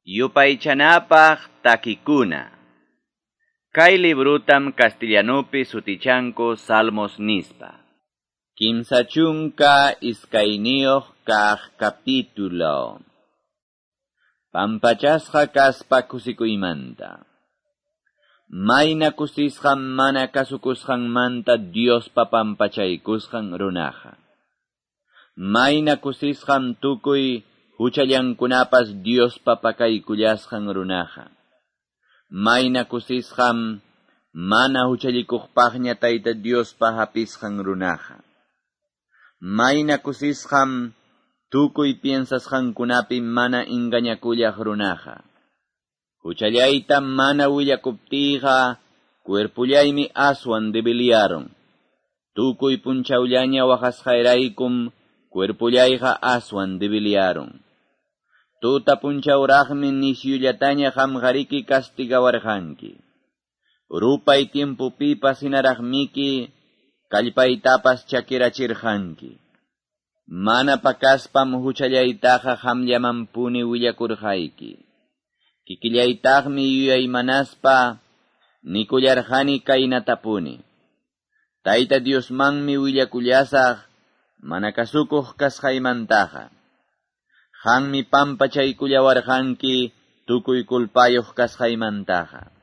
Yupaychanapaq takikuna. Kay librutam castellanupi sutichanku Salmos nispa. 32 kaq capítulo. Pampachasqa kaspa kusikuymanta. Mayna kusisqam mana kasukusqanmanta Diospa pampachaykusqan runaqa. Mayna kusisqam tukuy huchallankunapas Diospa pakaykullasqan runaqa. Mayna kusisqam mana huchallikuqpaqña Tayta Diospa hapisqan runaqa. Mayna kusisqam tukuy piensasqankunapi mana engañakullaq runaqa. Huchallayta mana willakuptiyqa cuerpullaymi aswan debiliaron. Tukuy punchawllaña waqasqayraykum cuerpullayqa aswan debiliaron. Tuta punchawraqmi nisyullataña qamqariki castigawarqanki. Rupay tiempopipas hinaraqmiki kallpaytapas chakirachirqanki. Mana pakaspam huchallaytaqa qamllamanpuni willakurqayki. Kikillaytaqmi yuyaymanaspa nikullarqani kaynatapuni. Tayta Diosmanmi willakullasaq mana kasukuq kasqaymantaqa. Qanmi pampachaykullawarqanki tukuy kulpayuq kasqaymantaqa.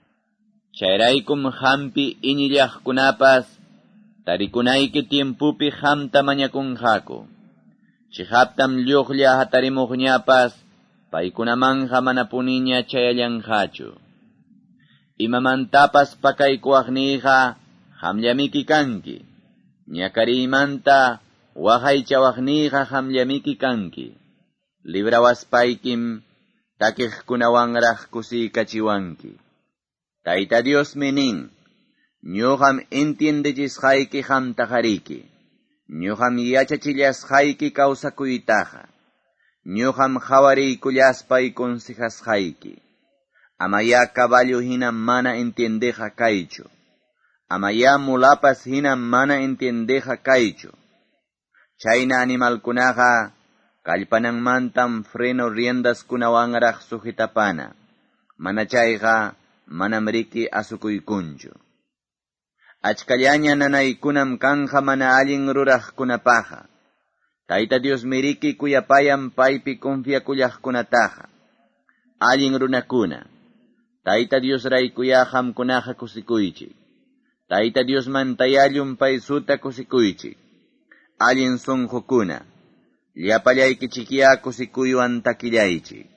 Chayraykum qampi iñillaqkunapas tarikunayki tiempupi qamta mañakunqaku. Chihaptam lluqlla hatarimuqñapas paykunamanja manapuniña chayallanqachu. Imamantapas pakaykuwaqniyqa qamllamiki kanki. Ñakariymanta waqaychawaqniyqa qamllamiki kanki. Librawaspaykim takiqkunawanraq kusiykachiwanki. Tayta Diosmi nin, ñuqam entiendechisqayki qamtaqariki. Ñuqam yachachillasqayki kawsakuytaqa. Ñuqam qhawariykullaspay consejasqayki. Amaya caballo hina mana entiendeja kaychu. Amaya mulapas hina mana entiendeja kaychu. Chayna animalkunaqa kallpananmantam freno riendaskunawanraq sujetapana. Mana chayqa manam riki asukuykunchu. Achkallaña nanaykunam kanja mana allin ruraqkunapaqa. Tayta Dios miriki kuyapayan paypi confiakullaqkunataqa. Allin runakuna. Tayta Dios raykuya qamkunaqa kusikuychik. Tayta Dios mantayallun paysuta kusikuychik. Allin sunqukuna. Llapallaykichikya kusikuywan takillaychik.